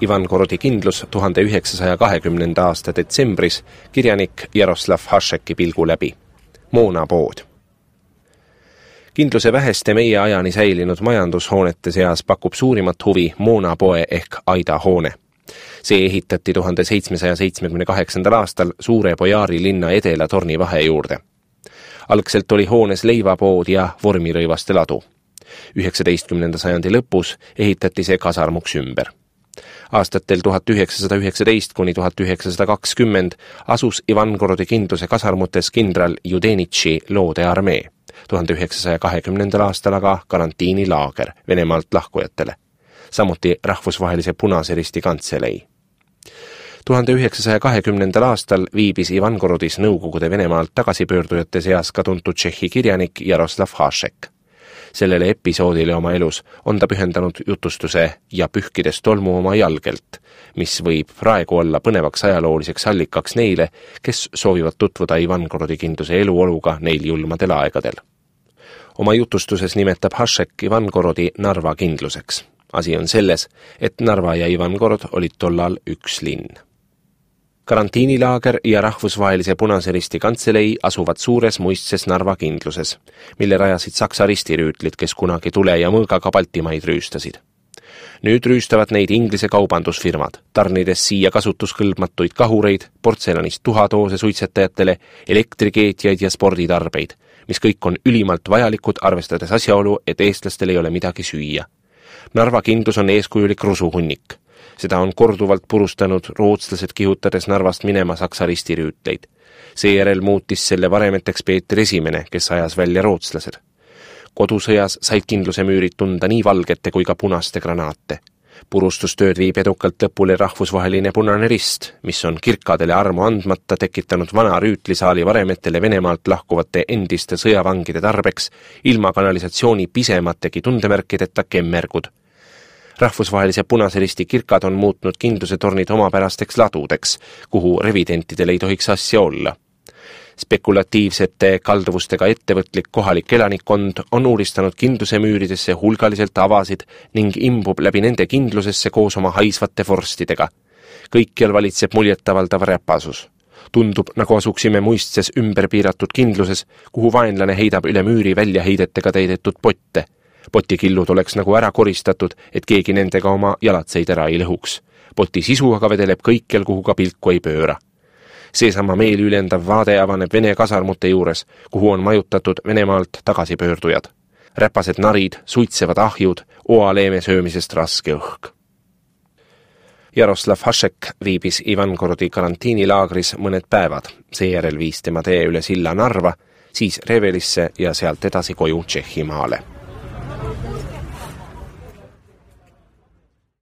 Ivangorodi kindlus 1920. aasta detsembris kirjanik Jaroslav Hašeki pilgu läbi. Moonapood. Kindluse väheste meie ajani säilinud majandushoonete seas pakub suurimat huvi moonapoe ehk Aida hoone. See ehitati 1778. aastal Suure Bojaari linna Edela torni vahe juurde. Algselt oli hoones leivapood ja vormirõivaste ladu. 19. sajandi lõpus ehitati see kasarmuks ümber. Aastatel 1919 kuni 1920 asus Ivangorodi kindluse kasarmutes kindral Judenitši loode armee, 1920. aastal aga karantiinilaager Venemaalt lahkujatele, samuti Rahvusvahelise Punase Risti kantselei. 1920. aastal viibis Ivangorodis Nõukogude Venemaalt tagasipöördujate seas ka tuntud tšehhi kirjanik Jaroslav Hašek. Sellele episoodile oma elus on ta pühendanud jutustuse Ja pühkides tolmu oma jalgelt, mis võib praegu olla põnevaks ajalooliseks allikaks neile, kes soovivad tutvuda Ivangorodi kindluse eluoluga neil julmadel aegadel. Oma jutustuses nimetab Hašek Ivangorodi Narva kindluseks. Asi on selles, et Narva ja Ivangorod olid tollal üks linn. Karantiinilaager ja Rahvusvahelise Punase Risti kantselei asuvad suures muistses Narva kindluses, mille rajasid Saksa ristirüütlid, kes kunagi tule ja mõõgaga Baltimaid rüüstasid. Nüüd rüüstavad neid Inglise kaubandusfirmad, tarnides siia kasutuskõlbmatuid kahureid, portselanist tuhatoose suitsetajatele, elektrikeetjaid ja sporditarbeid, mis kõik on ülimalt vajalikud, arvestades asjaolu, et eestlastel ei ole midagi süüa. Narva kindlus on eeskujulik rusuhunnik. Seda on korduvalt purustanud rootslased kihutades Narvast minema Saksa ristirüütleid. Seejärel muutis selle varemeteks Peeter I, kes ajas välja rootslased. Kodusõjas said kindluse müürid tunda nii valgete kui ka punaste granaate. Purustustööd viib edukalt lõpule Rahvusvaheline Punane Rist, mis on kirkadele armu andmata tekitanud vana rüütlisaali varemetele Venemaalt lahkuvate endiste sõjavangide tarbeks ilma kanalisatsiooni pisemategi tundemärkideta kemmergud. Rahvusvahelise Punase Risti kirkad on muutnud kindluse tornid omapärasteks ladudeks, kuhu revidentidel ei tohiks asja olla. Spekulatiivsete kalduvustega ettevõtlik kohalik elanikkond on uuristanud kindluse müüridesse hulgaliselt avasid ning imbub läbi nende kindlusesse koos oma haisvate vorstidega. Kõikjal valitseb muljetavaldav räpasus. Tundub, nagu asuksime muistses ümberpiiratud kindluses, kuhu vaenlane heidab üle müüri väljaheidetega täidetud potte. Potikillud oleks nagu ära koristatud, et keegi nendega oma jalatseid ära ei lõhuks. Poti sisu aga vedeleb kõikjal, kuhu ka pilku ei pööra. Seesama meelülendav vaade avaneb Vene kasarmute juures, kuhu on majutatud Venemaalt tagasipöördujad. Räpased narid, suitsevad ahjud, oaleeme söömisest raske õhk. Jaroslav Hašek viibis Ivangorodi karantiinilaagris mõned päevad, seejärel viis tema tee üle silla Narva, siis Revelisse ja sealt edasi koju Tšehhimaale.